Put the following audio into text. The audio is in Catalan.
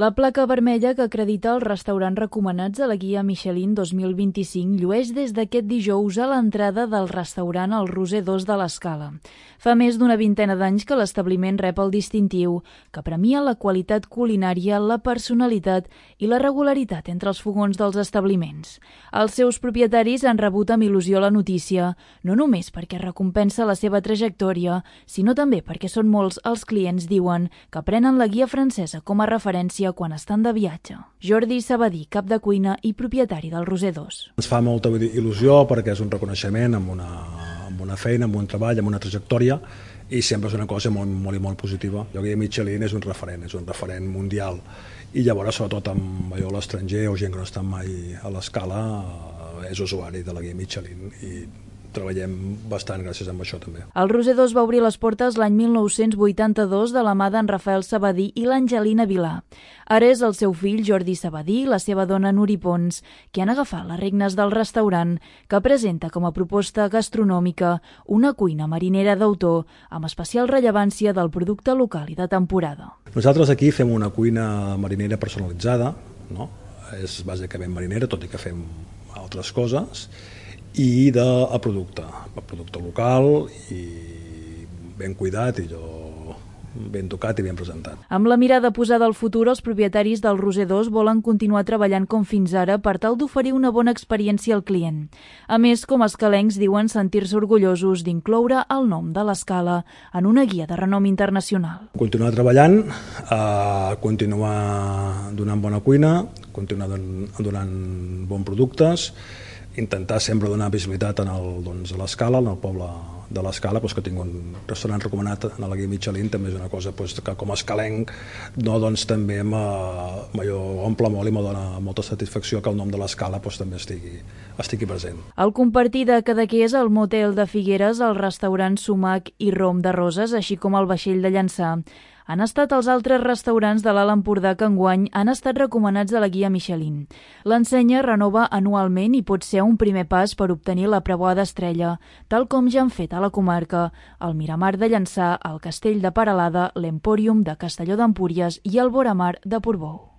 La placa vermella que acredita els restaurants recomanats a la guia Michelin 2025 llueix des d'aquest dijous a l'entrada del restaurant El Roser 2 de l'Escala. Fa més d'una vintena d'anys que l'establiment rep el distintiu, que premia la qualitat culinària, la personalitat i la regularitat entre els fogons dels establiments. Els seus propietaris han rebut amb il·lusió la notícia, no només perquè recompensa la seva trajectòria, sinó també perquè són molts els clients, diuen, que prenen la guia francesa com a referència quan estan de viatge. Jordi Sabadí, cap de cuina i propietari del Roser 2. Ens fa molta il·lusió perquè és un reconeixement amb una feina, amb un treball, amb una trajectòria, i sempre és una cosa molt positiva. La guia Michelin és un referent mundial, i llavors, sobretot amb l'estranger o gent que no està mai a l'Escala, és usuari de la guia Michelin i treballem bastant gràcies a això també. El Roser 2 va obrir les portes l'any 1982 de la mà d'en Rafael Sabadí i l'Angelina Vilà. Ara és el seu fill Jordi Sabadí i la seva dona Nuri Pons que han agafat les regnes del restaurant, que presenta com a proposta gastronòmica una cuina marinera d'autor amb especial rellevància del producte local i de temporada. Nosaltres aquí fem una cuina marinera personalitzada, no? És bàsicament marinera, tot i que fem altres coses, i del producte local i ben cuidat i ben tocat i ben presentat. Amb la mirada posada al futur, els propietaris del Roser 2 volen continuar treballant com fins ara per tal d'oferir una bona experiència al client. A més, com escalencs diuen sentir-se orgullosos d'incloure el nom de l'Escala en una guia de renom internacional. Continuar treballant, continuar donant bona cuina, continuar donant bons productes, intentar sempre donar visibilitat a l'Escala, en el poble de l'Escala, que tingui un restaurant recomanat a la guia Michelin, també és una cosa que com a escalenc també m'omple molt i me dona molta satisfacció que el nom de l'Escala també estigui present. El compartir de Cadaqués, el motel de Figueres, el restaurant Sumac i Rom de Roses, així com el vaixell de Llançà, han estat els altres restaurants de l'Alt Empordà que enguany han estat recomanats a la guia Michelin. L'ensenya renova anualment i pot ser un primer pas per obtenir la preuada estrella, tal com ja han fet a la comarca el Miramar de Llançà, el Castell de Peralada, l'Empòrium de Castelló d'Empúries i el Voramar de Portbou.